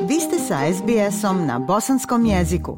Vi ste sa SBS-om na bosanskom jeziku.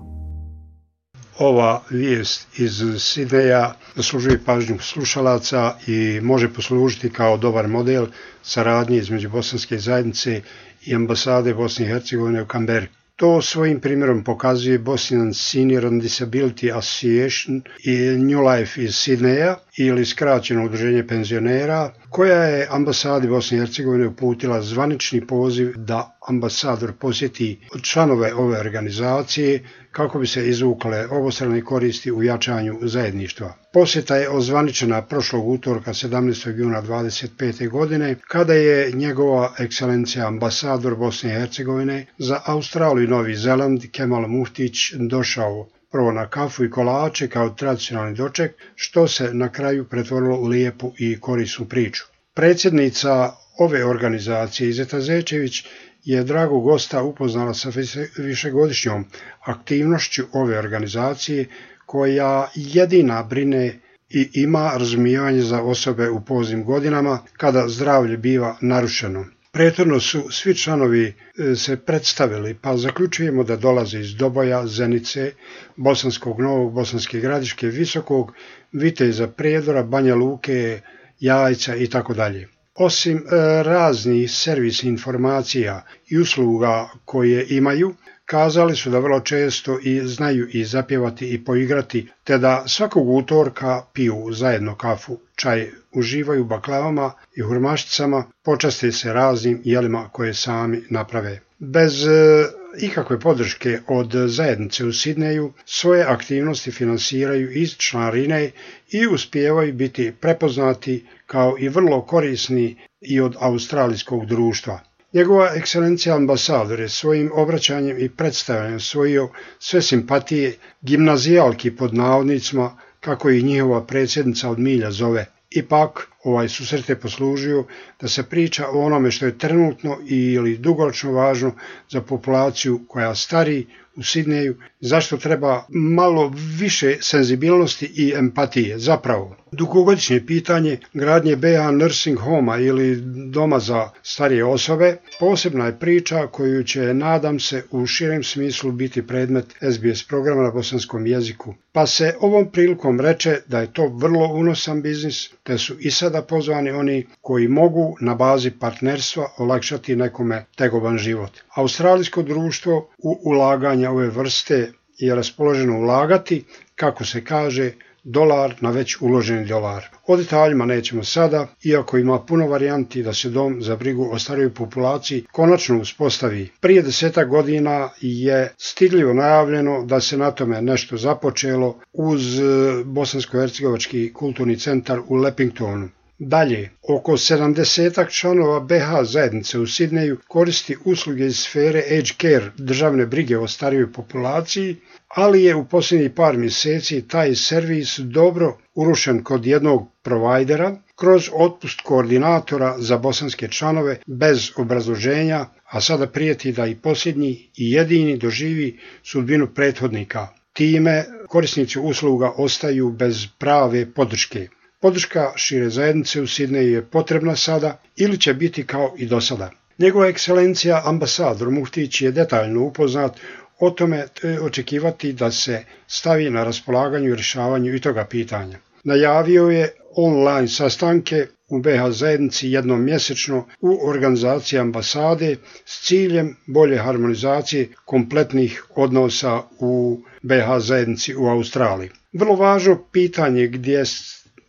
Ova vijest iz Sidneja zaslužuje pažnju slušalaca i može poslužiti kao dobar model saradnje između bosanske zajednice i ambasade Bosne i Hercegovine u Canberri. To svojim primjerom pokazuje Bosnian Senior and Disability Association i New Life iz Sidneja ili skraćeno udruženje penzionera, koja je ambasadi Bosne i Hercegovine uputila zvanični poziv da ambasador posjeti članove ove organizacije kako bi se izvukle obostrane koristi u jačanju zajedništva. Posjeta je ozvaničena prošlog utorka 17. juna 2025. godine, kada je njegova ekscelencija ambasador Bosne i Hercegovine za Australiju i Novi Zeland Kemal Muftić došao prvo na kafu i kolače kao tradicionalni doček, što se na kraju pretvorilo u lijepu i korisnu priču. Predsjednica ove organizacije Izeta Zečević je dragog gosta upoznala sa višegodišnjom aktivnošću ove organizacije, koja jedina brine i ima razumijevanje za osobe u poznim godinama kada zdravlje biva narušeno. Prethodno su svi članovi se predstavili, pa zaključujemo da dolaze iz Doboja, Zenice, Bosanskog Novog, Bosanske Gradiške, Visokog, Viteza, Prijedora, Banja Luke, Jajca itd. Osim raznih servis informacija i usluga koje imaju, kazali su da vrlo često i znaju i zapjevati i poigrati, te da svakog utorka piju zajedno kafu, čaj, uživaju u baklavama i hurmašticama, počaste se raznim jelima koje sami naprave. Bez ikakve podrške od zajednice u Sidneju svoje aktivnosti finansiraju iz članarine i uspijevaju biti prepoznati kao i vrlo korisni i od australijskog društva. Njegova ekscelencija ambasador je svojim obraćanjem i predstavljanjem osvojio sve simpatije gimnazijalki pod navodnicima, kako ih njihova predsjednica od milja zove. Ipak, ovaj susret je poslužio da se priča o onome što je trenutno ili dugoročno važno za populaciju koja stari u Sidneju, zašto treba malo više senzibilnosti i empatije. Zapravo, dugogodišnje pitanje gradnje BH nursing homa ili doma za starije osobe posebna je priča koju će, nadam se, u širem smislu biti predmet SBS programa na bosanskom jeziku. Pa se ovom prilikom reče da je to vrlo unosan biznis, te su i sada pozvani oni koji mogu na bazi partnerstva olakšati nekome tegoban život. Australijsko društvo u ulaganja ove vrste je raspoloženo ulagati, kako se kaže, dolar na već uloženi dolar. O detaljima nećemo sada, iako ima puno varijanti da se dom za brigu o starijoj populaciji konačno uspostavi. Prije 10 godina je stidljivo najavljeno da se na tome nešto započelo uz Bosansko-hercegovački kulturni centar u Lepingtonu. Dalje, oko 70 članova BH zajednice u Sidneju koristi usluge iz sfere Aged Care, državne brige o starijoj populaciji, ali je u posljednjih par mjeseci taj servis dobro urušen kod jednog provajdera kroz otpust koordinatora za bosanske članove bez obrazloženja, a sada prijeti da i posljednji i jedini doživi sudbinu prethodnika. Time korisnici usluga ostaju bez prave podrške. Podrška šire zajednice u Sidneju je potrebna sada ili će biti kao i do sada. Njegova ekscelencija ambasador Muftić je detaljno upoznat o tome, očekivati da se stavi na raspolaganju i rješavanju i toga pitanja. Najavio je online sastanke u BH zajednici jednom mjesečno u organizaciji ambasade s ciljem bolje harmonizacije kompletnih odnosa u BH zajednici u Australiji. Vrlo važno pitanje gdje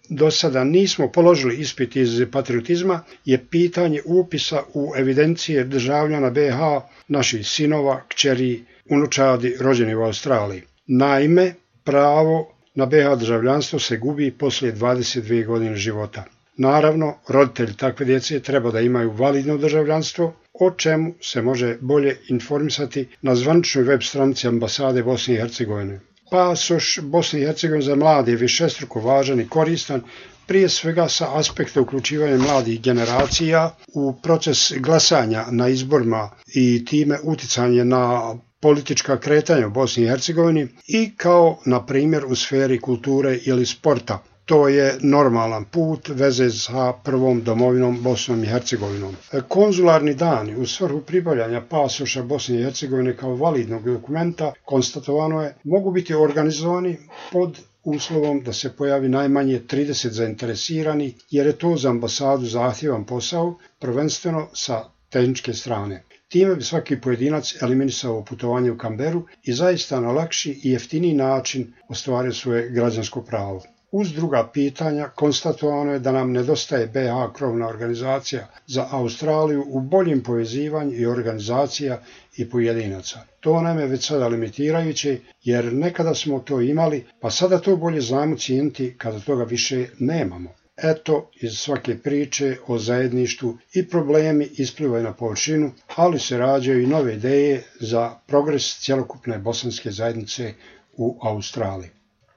do sada nismo položili ispit iz patriotizma je pitanje upisa u evidencije državljana BH, naših sinova, kćeri, unučadi rođeni u Australiji. Naime, pravo na BH državljanstvo se gubi poslije 22 godine života. Naravno, roditelji takve djece treba da imaju validno državljanstvo, o čemu se može bolje informisati na zvaničnoj web stranici ambasade Bosne i Hercegovine. Pasoš Bosne i Hercegovine za mlade je višestruko važan i koristan, prije svega sa aspekta uključivanja mladih generacija u proces glasanja na izborima i time uticanje na politička kretanja u Bosni i Hercegovini i kao, na primjer, u sferi kulture ili sporta. To je normalan put veze sa prvom domovinom Bosnom i Hercegovinom. Konzularni dani u svrhu pribavljanja pasoša Bosne i Hercegovine kao validnog dokumenta, konstatovano je, mogu biti organizovani pod uslovom da se pojavi najmanje 30 zainteresirani, jer je to za ambasadu zahtjevan posao, prvenstveno sa tehničke strane. Time bi svaki pojedinac eliminisao putovanje u Kamberu i zaista na lakši i jeftiniji način ostvario svoje građansko pravo. Uz druga pitanja konstatovano je da nam nedostaje BH krovna organizacija za Australiju u boljem povezivanju i organizacija i pojedinaca. To nam je već sada limitirajuće, jer nekada smo to imali, pa sada to bolje znamo cijeniti kada toga više nemamo. Eto, iz svake priče o zajedništvu i problemi isplivaju na površinu, ali se rađaju i nove ideje za progres cjelokupne bosanske zajednice u Australiji.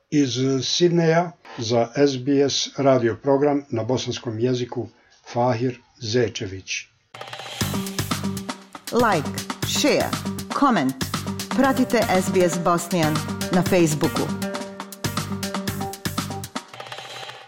Iz Sidneja za SBS radio program na bosanskom jeziku Fahir Zečević. Like, share, comment. Pratite SBS Bosnian na Facebooku.